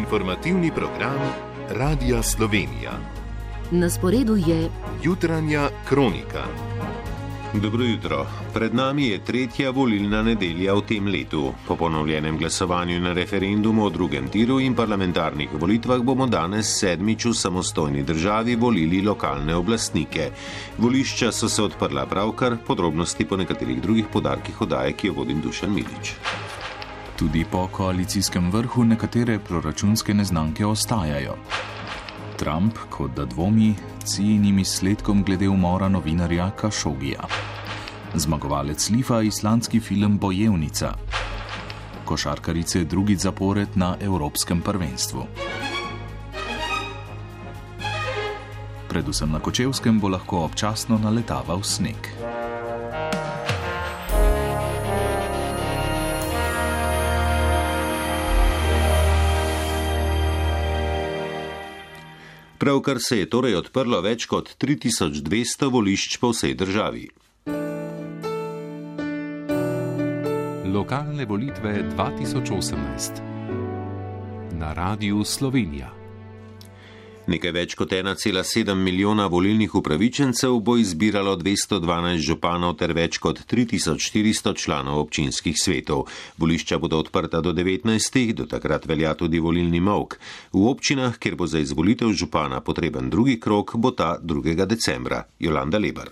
Informativni program Radia Slovenija. Na sporedu je Jutranja kronika. Dobro jutro. Pred nami je tretja volilna nedelja v tem letu. Po ponovljenem glasovanju na referendumu o drugem tiru in parlamentarnih volitvah bomo danes sedmič v samostojni državi volili lokalne oblastnike. Volišča so se odprla pravkar, podrobnosti po nekaterih drugih podarkih oddaje, ki jo vodim Dušan Milič. Tudi po koalicijskem vrhu nekatere proračunske neznanke ostajajo. Trump, kot da dvomi, cijenim izsledkom glede umora novinarja Kašogija. Zmagovalec Lifa, islandski film Bojevnica. Košarkarice drugič zapored na evropskem prvenstvu. Predvsem na Kočevskem bo lahko občasno naletaval sneg. Pravkar se je torej odprlo več kot 3200 volišč po vsej državi. Lokalne volitve 2018 na Radiu Slovenija. Nekaj več kot 1,7 milijona volilnih upravičencev bo izbiralo 212 županov ter več kot 3400 članov občinskih svetov. Volišča bodo odprta do 19. Do takrat velja tudi volilni molk. V občinah, kjer bo za izvolitev župana potreben drugi krog, bo ta 2. decembra. Jolanda Lebar.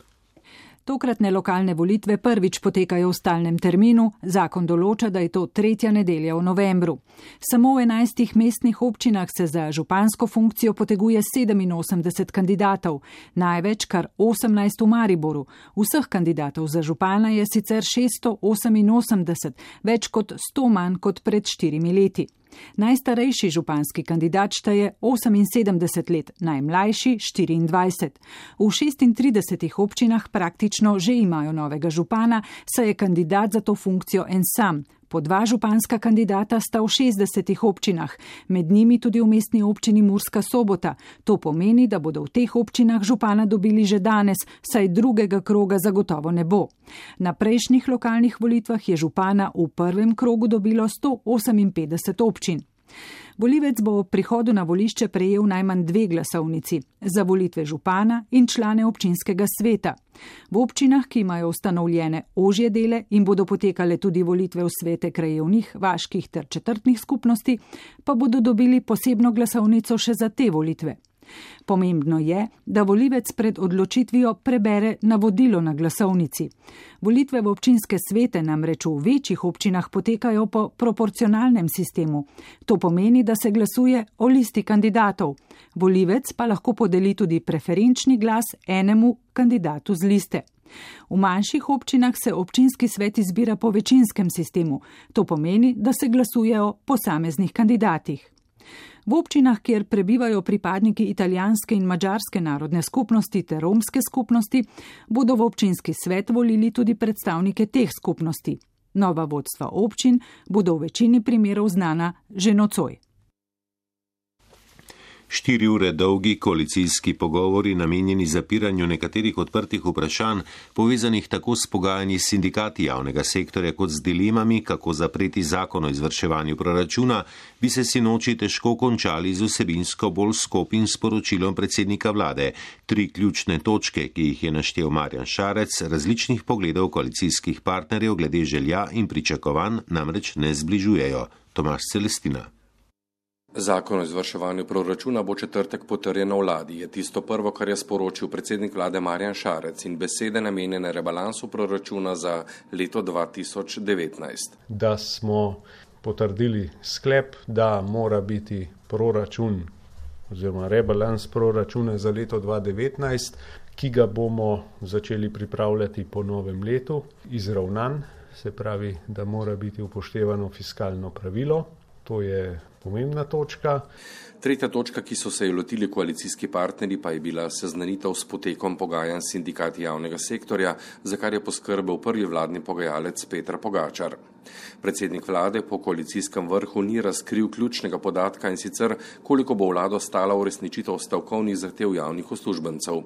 Tokratne lokalne volitve prvič potekajo v stalnem terminu, zakon določa, da je to tretja nedelja v novembru. Samo v 11 mestnih občinah se za župansko funkcijo poteguje 87 kandidatov, največ kar 18 v Mariboru. Vseh kandidatov za župana je sicer 688, več kot 100 manj kot pred 4 leti. Najstarejši županski kandidat šteje 78 let, najmlajši 24. V 36 občinah praktično že imajo novega župana, saj je kandidat za to funkcijo en sam. Po 2 županska kandidata sta v 60 občinah, med njimi tudi v mestni občini Murska Sobota. To pomeni, da bodo v teh občinah župana dobili že danes, saj drugega kroga zagotovo ne bo. Na prejšnjih lokalnih volitvah je župana v prvem krogu dobilo 158 občin. Volivec bo ob prihodu na volišče prejel najmanj 2 glasovnici za volitve župana in člane občinskega sveta. V občinah, ki imajo ustanovljene ožje dele in bodo potekale tudi volitve v svete krajevnih, vaških ter četrtnih skupnosti, pa bodo dobili posebno glasovnico še za te volitve. Pomembno je, da volivec pred odločitvijo prebere navodilo na glasovnici. Volitve v občinske svete namreč v večjih občinah potekajo po proporcionalnem sistemu. To pomeni, da se glasuje o listi kandidatov. Volivec pa lahko podeli tudi preferenčni glas enemu kandidatu z liste. V manjših občinah se občinski svet izbira po večinskem sistemu. To pomeni, da se glasuje o posameznih kandidatih. V občinah, kjer prebivajo pripadniki italijanske in madžarske narodne skupnosti ter romske skupnosti, bodo v občinski svet volili tudi predstavnike teh skupnosti. Nova vodstva občin bodo v večini primerov znana že nocoj. 4 ure dolgi koalicijski pogovori namenjeni zapiranju nekaterih odprtih vprašanj, povezanih tako s pogajanji s sindikati javnega sektorja kot z dilemami, kako zapreti zakon o izvrševanju proračuna, bi se sinoči težko končali z vsebinsko bolj skopim sporočilom predsednika vlade. 3 ključne točke, ki jih je naštel Marjan Šarec, različnih pogledov koalicijskih partnerjev glede želja in pričakovanj namreč ne zbližujejo. Tomaž Celestina. Zakon o izvrševanju proračuna bo četrtek potrjen na vladi, je tisto prvo, kar je sporočil predsednik vlade Marjan Šarec in besede namenjene rebalansu proračuna za leto 2019. Da smo potrdili sklep, da mora biti proračun oziroma rebalans proračuna za leto 2019, ki ga bomo začeli pripravljati po novem letu, izravnan, se pravi, da mora biti upoštevano fiskalno pravilo. To je pomembna točka. Tretja točka, ki so se jo lotili koalicijski partnerji, pa je bila seznanitev s potekom pogajanj s sindikati javnega sektorja, za kar je poskrbel prvi vladni pogajalec Peter Pogačar. Predsednik vlade po koalicijskem vrhu ni razkril ključnega podatka, in sicer koliko bo vlado stala uresničitev stavkovnih zahtev javnih uslužbencev.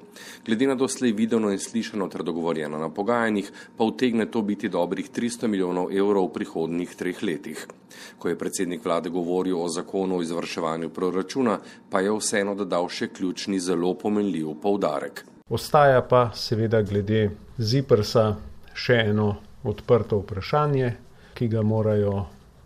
Glede na doslej videno in slišano ter dogovorjeno na pogajanjih, pa utegne to biti dobrih 300 milijonov evrov v prihodnjih 3 letih. Ko je predsednik vlade govoril o zakonu o izvrševanju proračuna, pa je vseeno dodal še ključni, zelo pomenljiv poudarek. Ostaja pa seveda glede ZIPRS-a še eno odprto vprašanje, ki ga morajo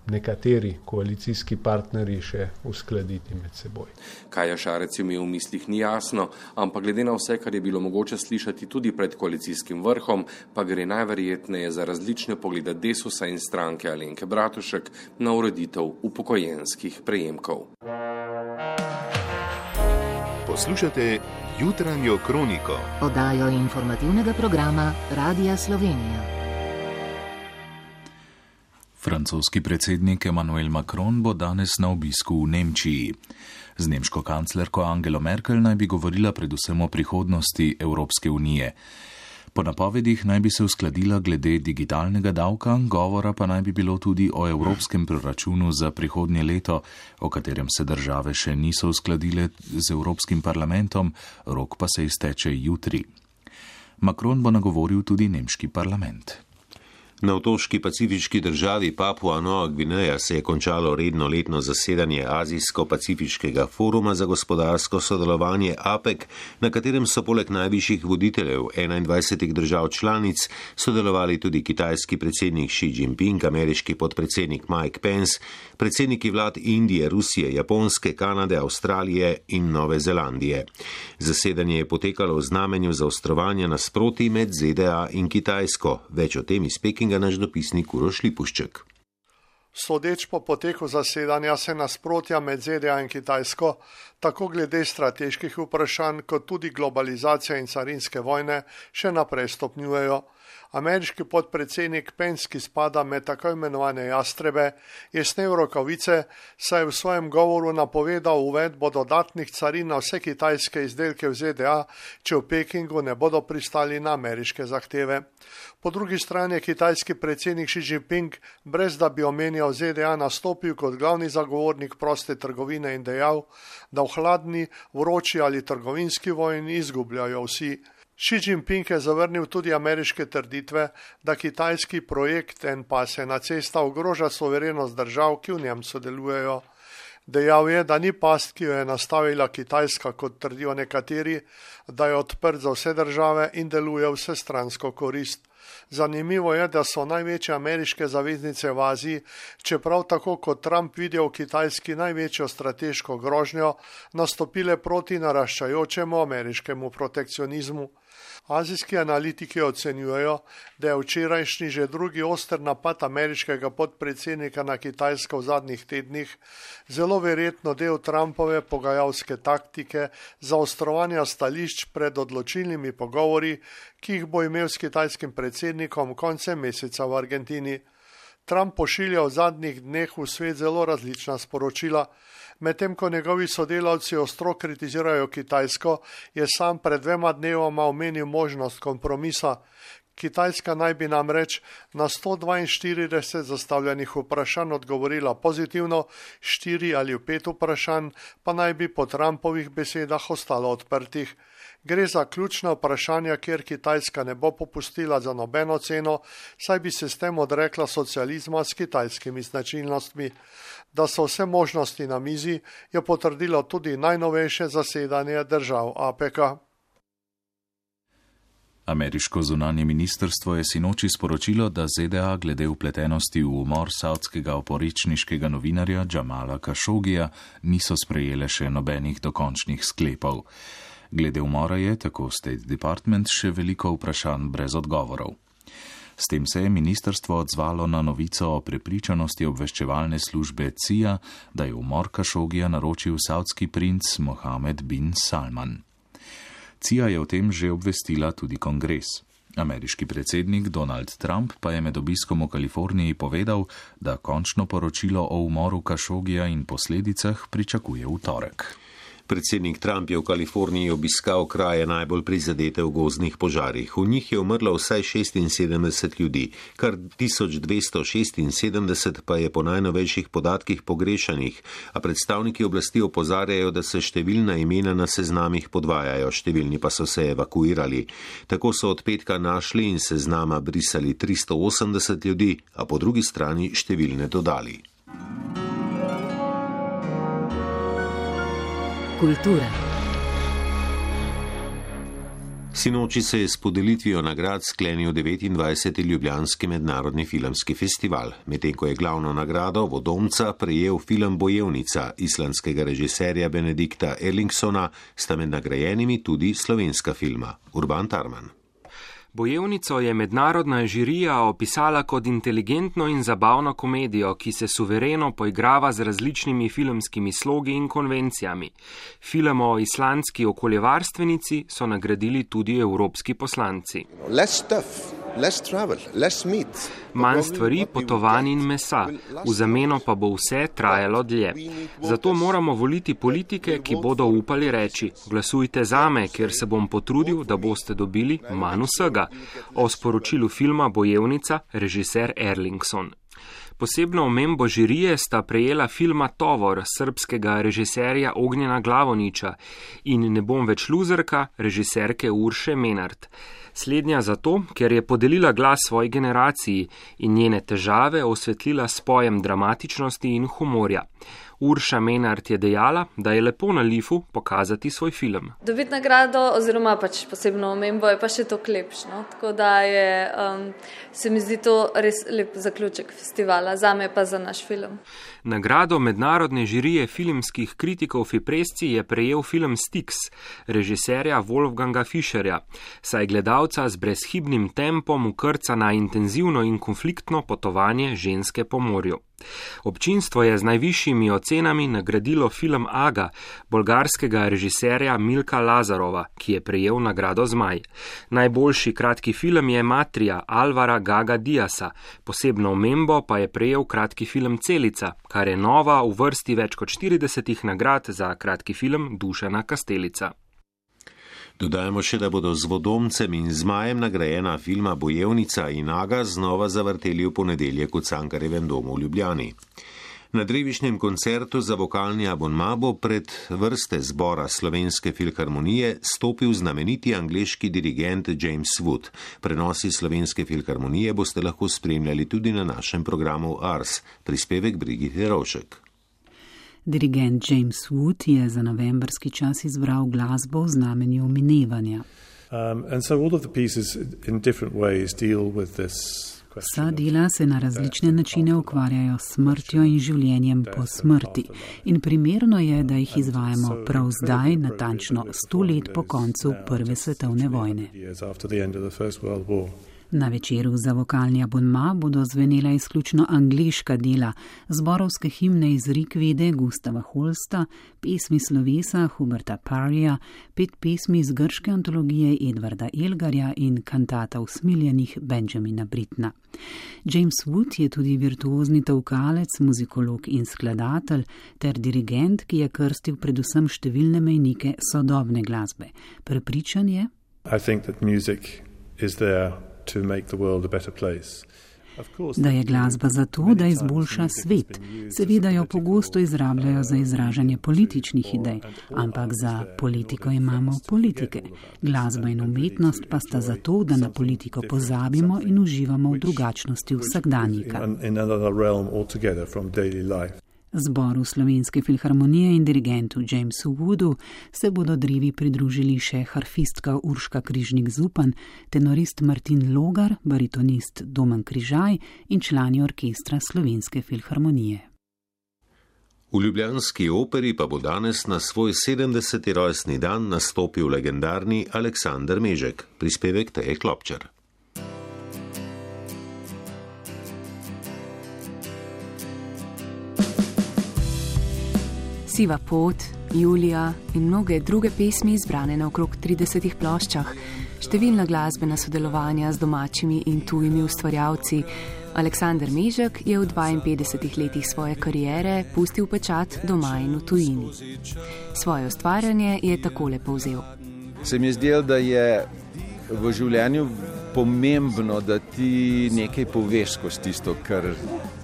nekateri koalicijski partnerji še uskladiti med seboj. Kaj je Šarec imel v mislih, ni jasno, ampak glede na vse, kar je bilo mogoče slišati tudi pred koalicijskim vrhom, pa gre najverjetneje za različne poglede Desusa in stranke Alenke Bratušek na ureditev upokojenskih prejemkov. Poslušate Jutranjo kroniko, oddajo informativnega programa Radia Slovenija. Francoski predsednik Emmanuel Macron bo danes na obisku v Nemčiji. Z nemško kanclerko Angelo Merkel naj bi govorila predvsem o prihodnosti Evropske unije. Po napovedih naj bi se uskladila glede digitalnega davka, govora pa naj bi bilo tudi o evropskem proračunu za prihodnje leto, o katerem se države še niso uskladile z Evropskim parlamentom, rok pa se izteče jutri. Macron bo nagovoril tudi nemški parlament. Na otoški pacifiški državi Papua Nova Gvineja se je končalo redno letno zasedanje Azijsko-pacifiškega foruma za gospodarsko sodelovanje APEC, na katerem so poleg najvišjih voditeljev 21 držav članic sodelovali tudi kitajski predsednik Xi Jinping, ameriški podpredsednik Mike Pence, predsedniki vlad Indije, Rusije, Japonske, Kanade, Avstralije in Nove Zelandije. Zasedanje je potekalo v znamenju zaostrovanja nasprotij med ZDA in Kitajsko. Več o tem iz Pekinga naš dopisnik Uroš Lipušček. Sodeč po poteku zasedanja se nasprotja med ZDA in Kitajsko, tako glede strateških vprašanj, kot tudi globalizacije in carinske vojne, še naprej stopnjujejo. Ameriški podpredsednik Pence, ki spada med tako imenovane jastrebe, je snel rokavice, saj je v svojem govoru napovedal uvedbo dodatnih carin na vse kitajske izdelke v ZDA, če v Pekingu ne bodo pristali na ameriške zahteve. Po drugi strani je kitajski predsednik Xi Jinping, brez da bi omenjal ZDA, nastopil kot glavni zagovornik proste trgovine in dejal, da v hladni, vroči ali trgovinski vojni izgubljajo vsi. Xi Jinping je zavrnil tudi ameriške trditve, da kitajski projekt En pas ena cesta ogroža suverenost držav, ki v njem sodelujejo. Dejal je, da ni past, ki jo je nastavila Kitajska, kot trdijo nekateri, da je odprt za vse države in deluje vsestransko korist. Zanimivo je, da so največje ameriške zaveznice v Aziji, čeprav tako kot Trump vidijo v Kitajski največjo strateško grožnjo, nastopile proti naraščajočemu ameriškemu protekcionizmu. Azijski analitiki ocenjujejo, da je včerajšnji že drugi oster napad ameriškega podpredsednika na Kitajsko v zadnjih tednih zelo verjetno del Trumpove pogajalske taktike zaostrovanja stališč pred odločilnimi pogovori, ki jih bo imel s kitajskim predsednikom koncem meseca v Argentini. Trump pošilja v zadnjih dneh v svet zelo različna sporočila. Medtem ko njegovi sodelavci ostro kritizirajo Kitajsko, je sam pred 2 dnevoma omenil možnost kompromisa. Kitajska naj bi namreč na 142 zastavljenih vprašanj odgovorila pozitivno, 4 ali 5 vprašanj pa naj bi po Trumpovih besedah ostalo odprtih. Gre za ključna vprašanja, kjer Kitajska ne bo popustila za nobeno ceno, saj bi se s tem odrekla socializma s kitajskimi značilnostmi. Da so vse možnosti na mizi, je potrdilo tudi najnovejše zasedanje držav APEC-a. Ameriško zunanje ministrstvo je sinoči sporočilo, da ZDA glede vpletenosti v umor savdskega oporečniškega novinarja Jamala Khashogija niso sprejele še nobenih dokončnih sklepov. Glede umora je, tako State Department, še veliko vprašanj brez odgovorov. S tem se je ministrstvo odzvalo na novico o prepričanosti obveščevalne službe CIA, da je umor Khashogija naročil savdski princ Mohammed bin Salman. CIA je o tem že obvestila tudi kongres. Ameriški predsednik Donald Trump pa je med obiskom v Kaliforniji povedal, da končno poročilo o umoru Khashogija in posledicah pričakuje v torek. Predsednik Trump je v Kaliforniji obiskal kraje najbolj prizadete v gozdnih požarih. V njih je umrlo vsaj 76 ljudi, kar 1276 pa je po najnovejših podatkih pogrešanih, a predstavniki oblasti opozarjajo, da se številna imena na seznamih podvajajo, številni pa so se evakuirali. Tako so od petka našli in seznama brisali 380 ljudi, a po drugi strani številne dodali. Kultura. Sinoči se je s podelitvijo nagrad sklenil 29. Ljubljanski mednarodni filmski festival, medtem ko je glavno nagrado Vodomca prejel film Bojevnica islandskega režiserja Benedikta Erlingsona, sta med nagrajenimi tudi slovenska filma. Urban Tarman. Bojevnico je mednarodna žirija opisala kot inteligentno in zabavno komedijo, ki se suvereno poigrava z različnimi filmskimi slogi in konvencijami. Film o islandski okoljevarstvenici so nagradili tudi evropski poslanci. Manj stvari, potovanj in mesa, v zameno pa bo vse trajalo dlje. Zato moramo voliti politike, ki bodo upali reči: glasujte zame, ker se bom potrudil, da boste dobili manj vsega. O sporočilu filma Bojevnica režiser Erlingson. Posebno omembo žirije sta prejela filma Tovor srbskega režiserja Ognjena Glavoniča in Ne bom več luzerka režiserke Urše Menart. Slednja zato, ker je podelila glas svoji generaciji in njene težave osvetlila s pojem dramatičnosti in humorja. Urša Menart je dejala, da je lepo na Lifu pokazati svoj film. Dobiti nagrado oziroma pač posebno omembo je pa še toliko lepše, no? Tako da se mi zdi to res lep zaključek festivala, zame pa za naš film. Nagrado mednarodne žirije filmskih kritikov Fipresci je prejel film Styx, režiserja Wolfganga Fischerja, saj gledalca z brezhibnim tempom ukrca na intenzivno in konfliktno potovanje ženske po morju. Občinstvo je z najvišjimi ocenami nagradilo film Aga, bolgarskega režiserja Milka Lazarova, ki je prejel nagrado Zmaj. Najboljši kratki film je Matrija Alvara Gaga Diasa, posebno omembo pa je prejel kratki film Celica, kar je nova v vrsti več kot 40 nagrad za kratki film Dušana Kastelica. Dodajamo še, da bodo z Vodomcem in Zmajem nagrajena filma Bojevnica in Aga znova zavrteli v ponedeljek v Cankarjevem domu v Ljubljani. Na drevišnjem koncertu za vokalni abonma bo pred vrste zbora Slovenske filharmonije stopil znameniti angleški dirigent James Wood. Prenosi Slovenske filharmonije boste lahko spremljali tudi na našem programu Ars, prispevek Brigite Rovšek. Dirigent James Wood je za novembrski čas izbral glasbo v znamenju minevanja. Vsa dela se na različne načine ukvarjajo s smrtjo in življenjem po smrti in primerno je, da jih izvajamo prav zdaj, natančno 100 let po koncu Prve svetovne vojne. Na večeru za vokalni abonma bodo zvenela izključno angleška dela, zborovske himne iz Rikvede Gustava Holsta, pesmi slovesa Huberta Parryja, 5 pesmi iz grške antologije Edvarda Elgarja in kantata Usmiljenih Benjamina Brittna. James Wood je tudi virtuozni tolkalec, muzikolog in skladatelj ter dirigent, ki je krstil predvsem številne mejnike sodobne glasbe. Prepričan je: da je glasba zato, da izboljša svet. Seveda jo pogosto izrabljajo za izražanje političnih idej, ampak za politiko imamo politike. Glasba in umetnost pa sta zato, da na politiko pozabimo in uživamo v drugačnosti vsakdanjika. Zboru Slovenske filharmonije in dirigentu Jamesu Woodu se bodo drevi pridružili še harfistka Urška Križnik-Zupan, tenorist Martin Logar, baritonist Domen Križaj in člani orkestra Slovenske filharmonije. V ljubljanski operi pa bo danes na svoj 70. rojstni dan nastopil legendarni Aleksander Mežek, prispevek Teje Klopčar. Siva pot, Julija in mnoge druge pesmi izbrane na okrog 30 ploščah, številna glasbena sodelovanja z domačimi in tujimi ustvarjalci, Aleksander Mežek je v 52 letih svoje kariere pustil pečat doma in v tujini. Svoje ustvarjanje je takole povzel. Se mi je zdelo, da je v življenju pomembno, da ti nekaj poveš skozi tisto, kar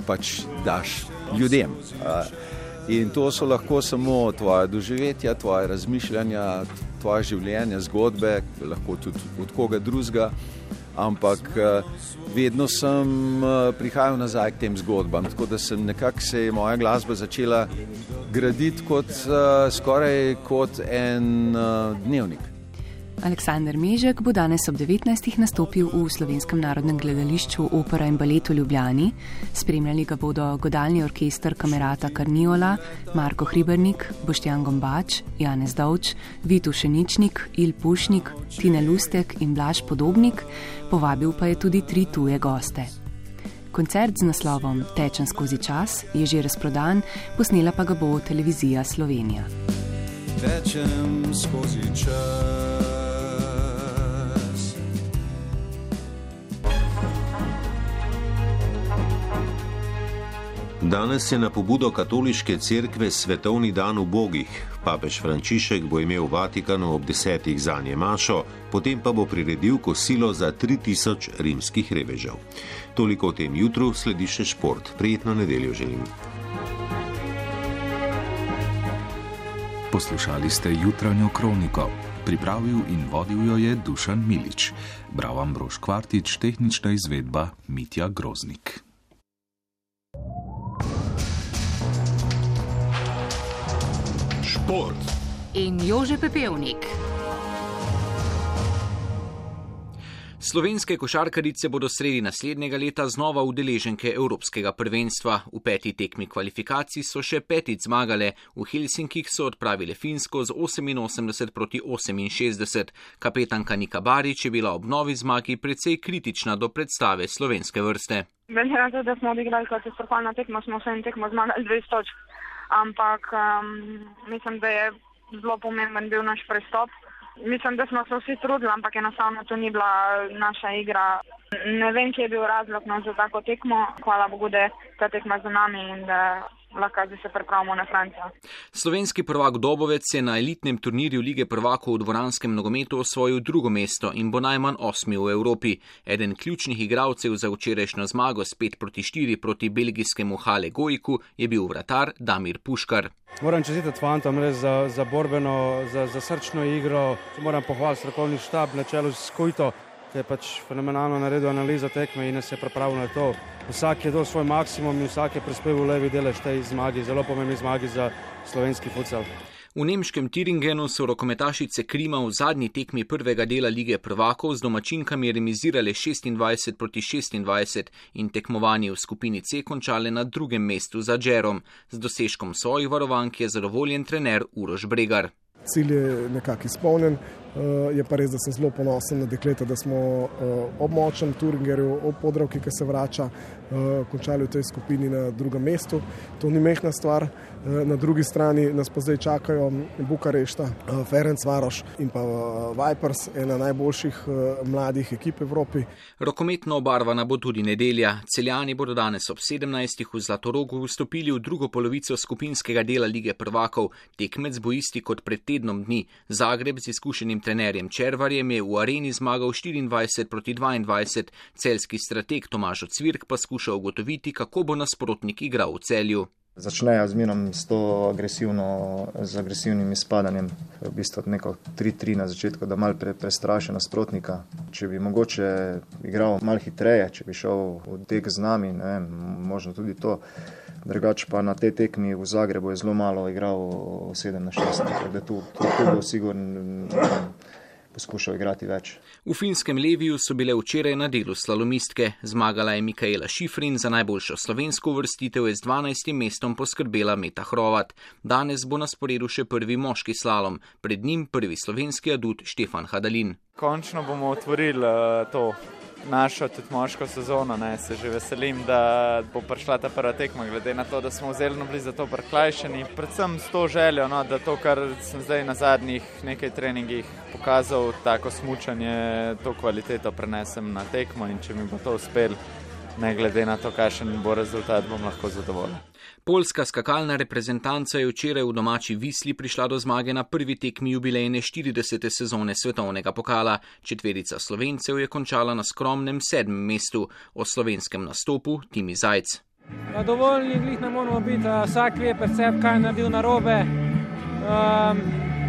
pač daš ljudem. In to so lahko samo tvoje doživetja, tvoje razmišljanja, tvoje življenje, zgodbe, lahko tudi od koga drugega, ampak vedno sem prihajal nazaj k tem zgodbam, tako da se je moja glasba začela graditi skoraj kot en dnevnik. Aleksander Mežek bo danes ob 19. nastopil v Slovenskem narodnem gledališču Opera in balet v Ljubljani. Spremljali ga bodo godalni orkester Kamerata Karniola, Marko Hribernik, Boštjan Gombač, Janez Dovč, Vit Ušeničnik, Il Pušnik, Tine Lustek in Blaž Podobnik, povabil pa je tudi 3 tuje goste. Koncert z naslovom Tečem skozi čas je že razprodan, posnela pa ga bo Televizija Slovenija. Tečem skozi čas. Danes je na pobudo katoliške cerkve svetovni dan ubogih. Papež Frančišek bo imel v Vatikanu ob 10. zanje mašo, potem pa bo priredil kosilo za 3000 rimskih revežev. Toliko o tem jutru, sledi še šport. Prijetno nedeljo želim. Poslušali ste jutranjo kroniko. Pripravil in vodil jo je Dušan Milič. Bral Ambrož Kvartič, tehnična izvedba Mitja Groznik. Šport in Jože Pepevnik. Slovenske košarkarice bodo sredi naslednjega leta znova udeleženke Evropskega prvenstva. V 5. tekmi kvalifikacij so še 5. zmagale. V Helsinkih so odpravile Finsko z 88-68. Kapetanka Nika Barič je bila ob novi zmagi precej kritična do predstave slovenske vrste. Glede na to, da smo odigrali katastrofalno tekmo, smo vse tekmo zmagali 20 točk. Ampak mislim, da je zelo pomemben bil naš prestop. Mislim, da smo se vsi trudili, ampak enostavno to ni bila naša igra. Ne vem, kje je bil razlog za tako tekmo. Hvala Bogu, da je ta tekma za nami in da lahko se pripravimo na Francijo. Slovenski prvak Dobovec je na elitnem turnirju Lige prvakov v dvoranskem nogometu osvojil 2. mesto in bo najmanj 8. v Evropi. Eden ključnih igralcev za včerajšnjo zmago s 5-4 proti belgijskemu Hale Gojku je bil vratar Damir Puškar. Moram čestitati fantom res za borbeno, za srčno igro. Moram pohvaliti strokovni štab na čelu s Kujto, ki je pač fenomenalno naredil analizo tekme in nas je pripravil na to. Vsak je dal svoj maksimum in vsak je prispeval levi delež tej zmagi, zelo pomembni zmagi za slovenski futsal. V nemškem Thüringenu so rokometašice Krima v zadnji tekmi prvega dela Lige prvakov z domačinkami remizirale 26-26 in tekmovanje v skupini C končale na 2. mestu za Džerom. Z dosežkom svojih varovank je zadovoljen trener Uroš Bregar. Cilj je nekako izpolnjen, je pa res, da sem zelo ponosen na dekleta, da smo ob močnem Thuringerju, ob Podravki, ki se vrača, končali v tej skupini na 2. mestu. To ni mehna stvar. Na drugi strani nas pa zdaj čakajo Bukarešta, Ferencvaroš in pa Vipers, ena najboljših mladih ekip v Evropi. Rokometno obarvana bo tudi nedelja. Celjani bodo danes ob 17. v Zlatorogu vstopili v drugo polovico skupinskega dela Lige prvakov. Tekmec bo isti kot pred tednom dni. Zagreb z izkušenim trenerjem Červarjem je v areni zmagal 24-22. Celjski strateg Tomaž Cvirk pa skuša ugotoviti, kako bo nasprotnik igral v Celju. Začnejo zmerom z agresivnim izpadanjem, v bistvu neko 3-3 na začetku, da malo prestraši nasprotnika. Če bi mogoče igral malo hitreje, če bi šel v tek z nami, ne vem, možno tudi to. Drugače pa na tej tekmi v Zagrebu je zelo malo igral 7-6, tako da tu bo sigurno poskušal igrati več. V finskem Leviju so bile včeraj na delu slalomistke. Zmagala je Mikaela Šifrin, za najboljšo slovensko uvrstitev je z 12. mestom poskrbela Meta Hrovat. Danes bo na sporedu še prvi moški slalom, pred njim prvi slovenski adut Štefan Hadalin. Končno bomo otvorili to našo tudi moško sezono, se že veselim, da bo prišla ta prva tekma, glede na to, da smo zelo bili za to prikrajšani. Predvsem s to željo, da to, kar sem zdaj na zadnjih nekaj treningih pokazal, tako smučanje, to kvaliteto prenesem na tekmo in če mi bo to uspelo, ne glede na to, kakšen bo rezultat, bom lahko zadovoljen. Poljska skakalna reprezentanca je včeraj v domači Visli prišla do zmage na prvi tekmi jubilejne 40. sezone svetovnega pokala. Četverica Slovencev je končala na skromnem 7. mestu. O slovenskem nastopu Timi Zajc. Dovoljni glih ne moramo biti, vsak ve percep, kaj je naredil narobe.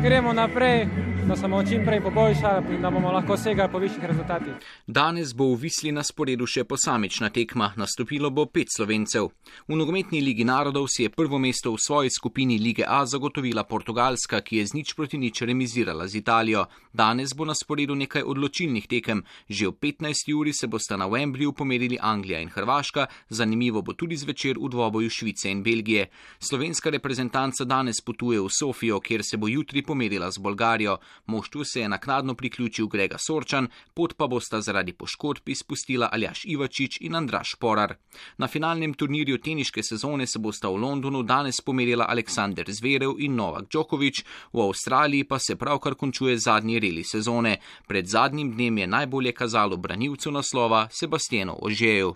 Gremo naprej, da se bomo čim prej poboljšali in da bomo lahko segali po višjih rezultatih. Danes bo v Visli na sporedu še posamična tekma, nastopilo bo 5 Slovencev. V nogometni Ligi narodov si je prvo mesto v svoji skupini Lige A zagotovila Portugalska, ki je z 0-0 remizirala z Italijo. Danes bo na sporedu nekaj odločilnih tekem. Že ob 15. uri se bosta na Wembleyju pomerili Anglija in Hrvaška, zanimivo bo tudi zvečer v dvoboju Švice in Belgije. Slovenska reprezentanca danes potuje v Sofijo, kjer se bo jutri pomerila z Bolgarijo. Moštvu se je naknadno priključil Grega Sorčan, pot pa bosta zaradi poškodb izpustila Aljaž Ivačič in Andraž Porar. Na finalnem turnirju teniške sezone se bosta v Londonu danes pomerila Aleksander Zverev in Novak Djokovic, v Avstraliji pa se pravkar končuje zadnji reli sezone. Pred zadnjim dnem je najbolje kazalo branilcu naslova Sebastianu Ožeju.